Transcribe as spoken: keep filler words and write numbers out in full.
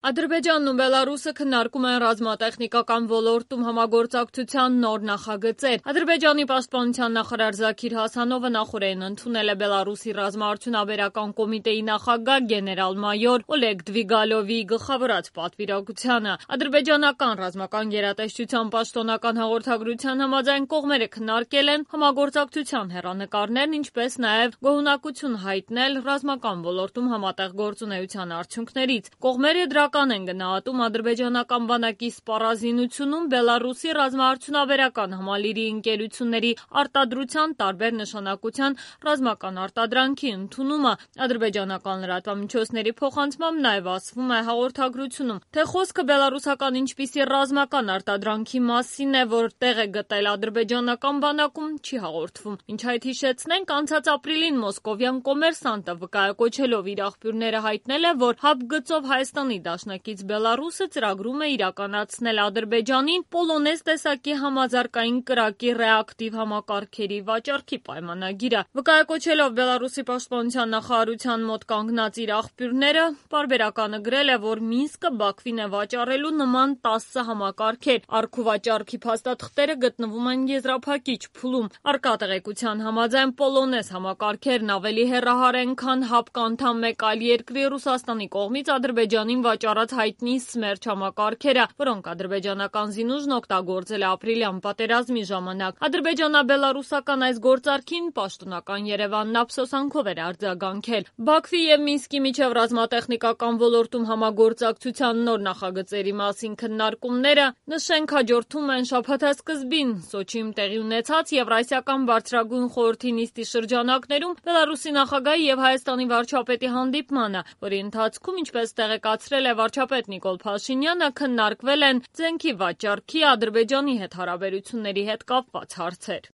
Ադրբեջանն ու Բելարուսը քննարկում են ռազմատեխնիկական ոլորտում համագործակցության նոր նախագծեր։ Ադրբեջանի պաշտպանության նախարար Զաքիր Հասանովը նախօրեին ընդունել է Բելարուսի ռազմաարդյունաբերական կոմիտեի նախագահ գեներալ-մայոր Օլեգ Դվիգալովի գլխավորած պատվիրակությանը։ Ադրբեջանական ռազմական գերատեսչության պաշտոնական հաղորդագրության համաձայն կողմերը քննարկել են համագործակցության հեռանկարներն, ինչպես նաև գոհունակություն հայտնել ռազմական ոլորտում համատեղ գործունեության արդյունքներից։ Կողմերը դրական են գնահատում ադրբեջանական բանակի սպառազինությունում Բելարուսի ռազմաարդյունաբերական համալիրի ընկերությունների արտադրության տարբեր նշանակության ռազմական արտադրանքի ընդունումը։ Ադրբեջանական լրատվամիջոցների փոխանցմամբ նաև ասվում է հաղորդագրությունում, թե խոսքը բելարուսական ինչպիսի ռազմական արտադրանքի մասին է, որ տեղ է գտել ադրբեջանական բանակում, չի հաղորդվում։ Ինչ այդ հիշեցնենք, անցած ապրիլին մոսկովյան կոմերսանտը վկայակոչելով իր աղբյուրները հայտնել է, որ հապ գծով Հայաստանի դաշնակից Բելարուսը ծրագրում է իրականացնել Ադրբեջանին պոլոնեզ տեսակի համաձարկային կրակի ռեակտիվ համակարգերի վաճառքի պայմանագիրը։ Վկայակոչելով Բելարուսի պաշտպանության նախարարության մոտ կանգնած իր աղբյուրները, պարբերականը գրել է, որ Մինսկը Բաքվին է վաճառելու նման տասը համակարգեր։ Առքուվաճառքի փաստաթղթերը գտնվում են եզրափակիչ փուլում։ Առկա տեղեկության համաձայն պոլոնեզ համակարգերն ավելի հեռահար են, քան հապկ անդամ մեկ այլ երկրի Ռուսաստանի կողմից Ադրբեջանին վաճառած հայտնի Սմերչ համակարգերը, որոնք ադրբեջանական զինուժն օգտագործել է ապրիլյան պատերազմի ժամանակ։ Ադրբեջանա-բելարուսական այս գործարքին պաշտոնական Երևանն ափսոսանքով էր արձագանքել։ Բաքվի և Մինսկի միջև ռազմատեխնիկական ոլորտում համագործակցության նոր նախագծերի մասին քննարկումները, նշենք, հաջորդում են շաբաթասկզբին Սոչիում տեղի ունեցած Եվրասիական բարձրագույն խորհրդի նիստի շրջանակներում Բելարուսի նախագահի և Հայաստանի վարչապետի հանդիպմանը, որի ընթացքում, ինչպես տեղեկացրել է վարչապետ Նիկոլ Փաշինյանը, քննարկվել են զենքի վաճառքի, Ադրբեջանի հետ հարաբերությունների հետ կապված հարցեր։